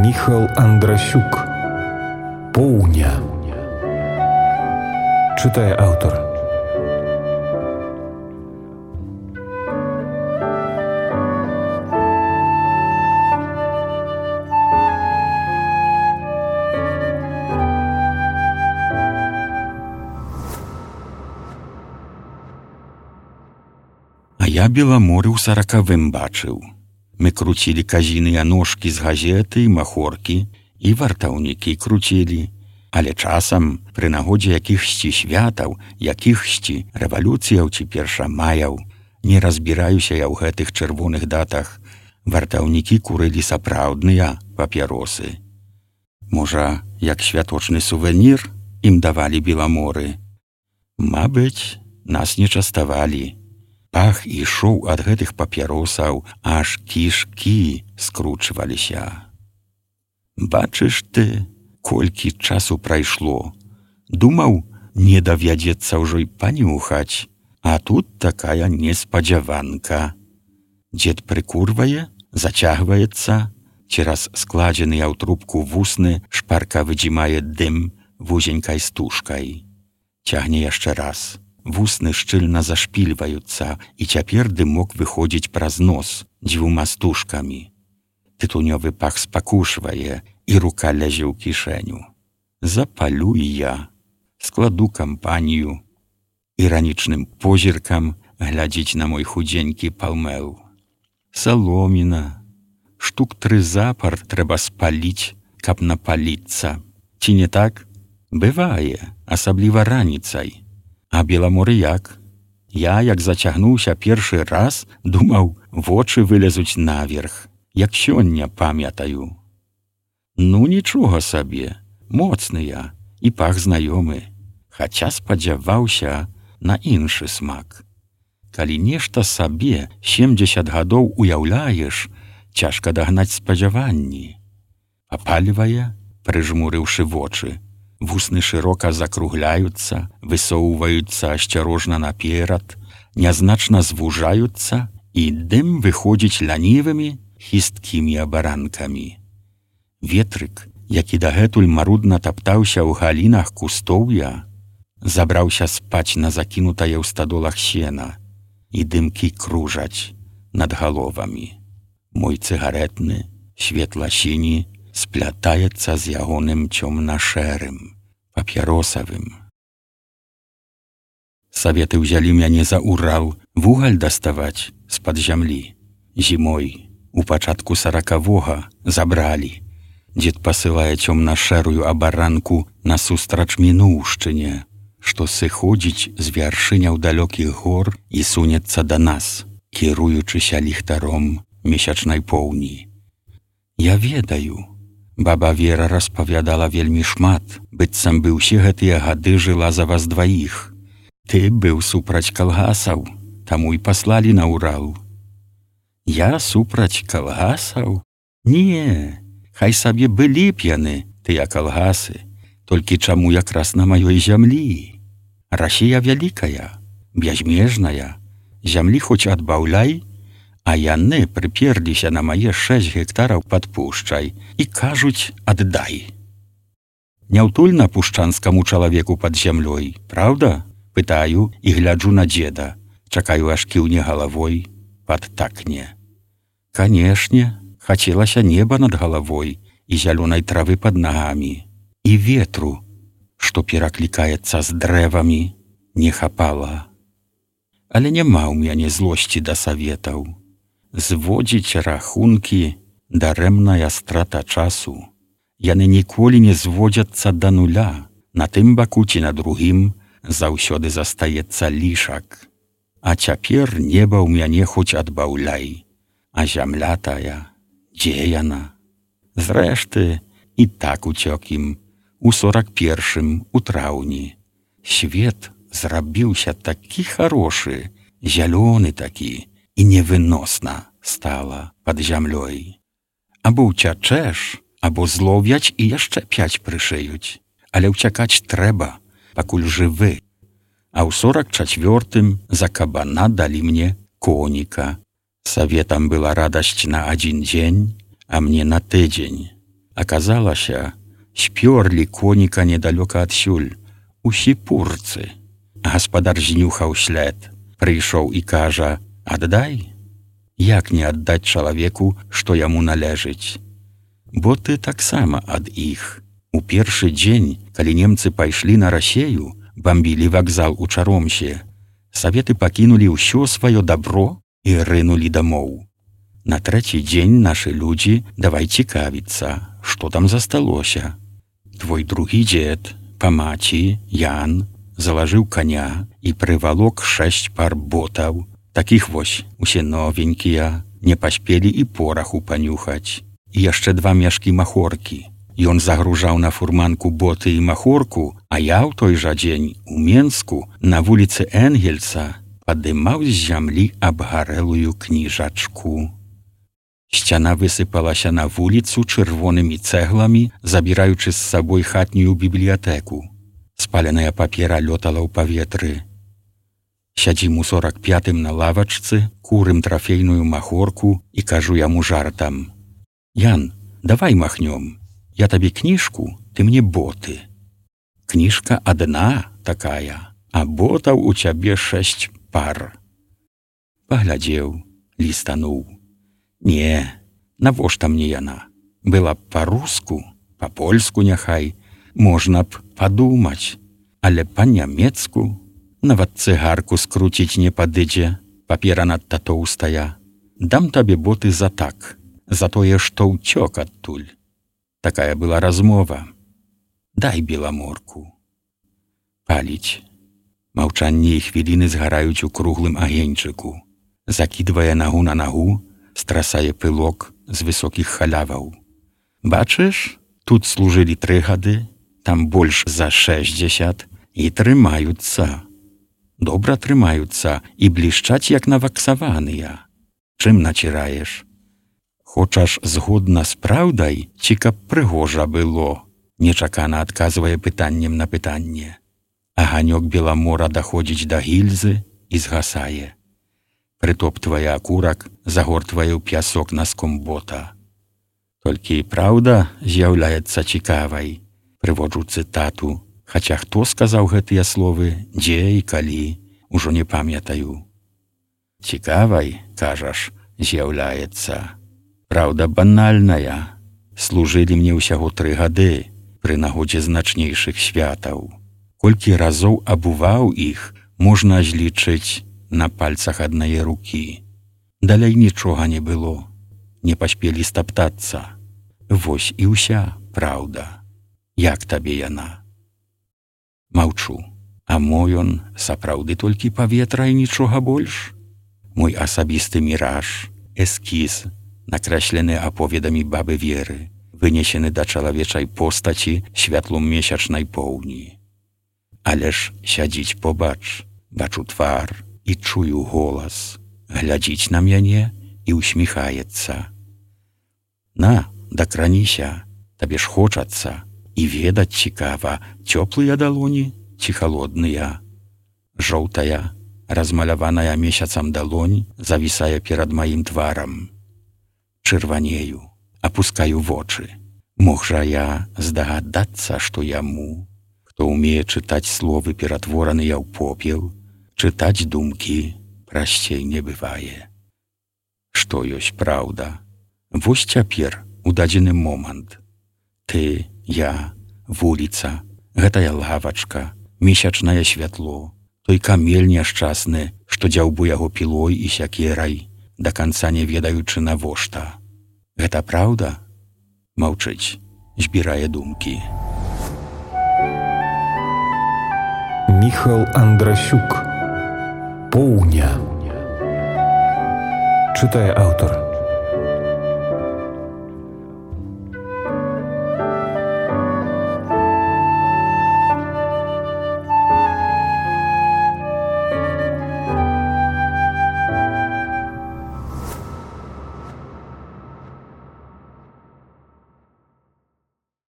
Міхал Андрасюк. Поўня. Чытае аўтар. А я Беламоры ў 40-вым бачыў. Мы круцілі казіныя ножкі з газеты, махоркі і вартаўнікі круцілі. Але часам, пры нагодзе якіхсьці святаў, якіхсьці рэвалюцыяў ці першамаяў, не разбіраюся я ў гэтых чырвоных датах, вартаўнікі курылі сапраўдныя папяросы. Можа, як святочны сувенір ім давалі Беламоры. Мабыць, нас не частавалі. Пах ішоў ад гэтых папяросаў, аж кішкі скручваліся. Бачыш ты, колькі часу прайшло. Думаў, не давядзецца ўжо й панюхаць, а тут такая неспадзяванка. Дзед прыкурвае, зацягваецца, цераз складзеныя ў трубку вусны шпарка выдзімае дым вузенькай стужкай. Цягне яшчэ раз. Вусны шчыльна зашпільваюцца, і цяпер дымок выходзіць праз нос дзвюма стужкамі. Тытунёвы пах спакушвае, і рука лязе ў кішэню. Запалю і я, складу кампанію. Іранічным позіркам глядзіць на мой худзенькі палмэл. Саломіна. Штук 3 запар трэба спаліць, каб напаліцца. Ці не так? Бывае, асабліва раніцай. А Беламоры як? Я, як зацягнуўся першы раз, думаў, вочы вылезуць наверх, як сёння памятаю. Ну, нічога сабе, моцныя і пах знаёмы, хаця спадзяваўся на іншы смак. Калі нешта сабе 70 гадоў уяўляеш, цяжка дагнаць спадзяванні. Папальвае, прыжмурыўшы вочы. Вусны шырока закругляюцца, высоўваюцца асцярожна наперад, нязначна звужаюцца, і дым выходзіць лянівымі, хісткімі абаранкамі. Ветрык, які дагэтуль марудна таптаўся ў галінах кустоўя, забраўся спаць на закінутае ў стадолах сена, і дымкі кружаць над галовамі. Мой цыгарэтны, светла-сіні, сплятаецца з ягоным цёмна-шэрым, папяросавым. Саветы ўзялі мяне за Урал вугаль даставаць з-пад зямлі. Зімой, у пачатку 40-го, забралі. Дзед пасылае цёмна-шэрую абаранку насустрач мінуўшчыне, што сыходзіць з вяршыняў далёкіх гор і сунецца да нас, кіруючыся ліхтаром месячнай поўні. Я ведаю, баба Вера распавядала вельмі шмат, быццам бы ўсе гэтыя гады жыла за вас дваіх. Ты быў супраць калгасаў, таму і паслалі на Урал. Я супраць калгасаў? Не, хай сабе былі б яны, тыя калгасы, толькі чаму якраз на маёй зямлі? Расія вялікая, бязмежная, зямлі хоць адбаўляй, а яны прыперліся на мае 6 гектараў пад пушчай і кажуць «аддай». Няўтульна пушчанскаму чалавеку пад зямлёй, праўда? Пытаю і гляджу на дзеда, чакаю аж кіўне галавой, падтакне. Канешне, хацелася неба над галавой і зялёнай травы пад нагамі, і ветру, што пераклікаецца з дрэвамі, не хапала. Але няма ў мяне злосці да саветаў. Зводзіць рахункі — дарэмная страта часу. Яны ніколі не зводзяцца да нуля. На тым баку ці на другім заўсёды застаецца лішак. А цяпер неба ў мяне хоць адбаўляй. А зямля тая, дзе яна? Зрэшты, і так уцёк ім. У 41-м, у траўні. Свет зрабіўся такі харошы, зялёны такі, і невыносна стала пад зямлёй. Або ўцячэш, або зловяць і яшчэ 5 прышыюць. Але ўцякаць трэба, пакуль жывы. А ў 44-м за кабана далі мне коніка. Саветам была радасць на 1 дзень, а мне на тыдзень. Аказалася, спёрлі коніка недалёка адсюль, у сіпурцы. Гаспадар знюхаў след, прыйшоў і кажа: «Аддай». Як не аддаць чалавеку, што яму належыць? Бо ты таксама ад іх. У першы дзень, калі немцы пайшлі на Расею, бамбілі вакзал у Чаромсе, саветы пакінулі ўсё сваё дабро і рынулі дамоў. На трэці дзень нашы людзі давай цікавіцца, што там засталося. Твой другі дзед, па маці, Ян, залажыў каня і прывалок 6 пар ботаў. Такіх вось, усе новенькія, не паспелі і пораху панюхаць. І яшчэ 2 мяшкі махоркі. Ён загружаў на фурманку боты і махорку, а я ў той жа дзень у Менску на вуліцы Энгельса падымаў з зямлі абгарэлую кніжачку. Сцяна высыпалася на вуліцу чырвонымі цэгламі, забіраючы з сабой хатнюю бібліятэку. Спаленая папера лётала ў паветры. Сядзім у 45-м на лавачцы, курым трафейную махорку і кажу яму жартам: «Ян, давай махнём. Я табе кніжку, ты мне боты. Кніжка адна такая, а ботаў у цябе 6 пар». Паглядзеў, лістануў. Не, навошта мне яна? Была б па-руску, па-польску няхай, можна б падумаць, але па-нямецку нават цыгарку скруціць не падыдзе, папера надта тоўстая. Дам табе боты за так, за тое, што ўцёк адтуль. Такая была размова. Дай беламорку. Паліць. Маўчанне і хвіліны згараюць у круглым агеньчыку. Закідвае нагу на нагу, страсае пылок з высокіх халяваў. Бачыш, тут служылі 3 гады, там больш за 60 і трымаюцца. Добра трымаюцца і блішчаць, як наваксаваныя. Чым націраеш? Хочаш згодна з праўдай, ці каб прыгожа было? Нечакана адказвае пытаннем на пытанне. Аганёк беламора даходзіць да гільзы і згасае. Прытоптвае акурак, загортвае ў пясок наском бота. Толькі праўда з'яўляецца цікавай. Прыводжу цытату. Хаця хто сказаў гэтыя словы, дзе і калі, ужо не памятаю. Цікавай, кажаш, з'яўляецца. Праўда банальная. Служылі мне ўсяго 3 гады пры нагодзе значнейшых святаў. Колькі разоў абуваў іх, можна злічыць на пальцах аднае рукі. Далей нічога не было. Не паспелі стаптацца. Вось і ўся праўда. Як табе яна? Маўчу. А мо ён сапраўды толькі паветра і нічога больш? Мой асабісты міраж, эскіз, накрэслены аповедамі бабы Веры, вынесены да чалавечай постаці святлом месячнай поўні. Але ж сядзіць побач, бачу твар і чую голас, глядзіць на мяне і усміхаецца. На, дакраніся, табе ж хочацца, і ведаць цікава, цёплыя далоні ці халодныя. Жоўтая, размаляваная месяцам далонь завісае перад маім тварам. Чырванею, апускаю вочы. Мог жа я здагадацца, што яму, хто ўмее чытаць словы, ператвораныя ў попел, чытаць думкі прасцей не бывае. Што ёсць праўда? Вось цяпер, у дадзены момант. Ты, я, вуліца, гэтая лавачка, месячнае святло, той камель няшчасны, што дзяўбу яго пілой і сякерай, да канца не ведаючы навошта. Гэта праўда? Маўчыць, збірае думкі. Міхал Андрасюк. Поўня. Чытае аўтар.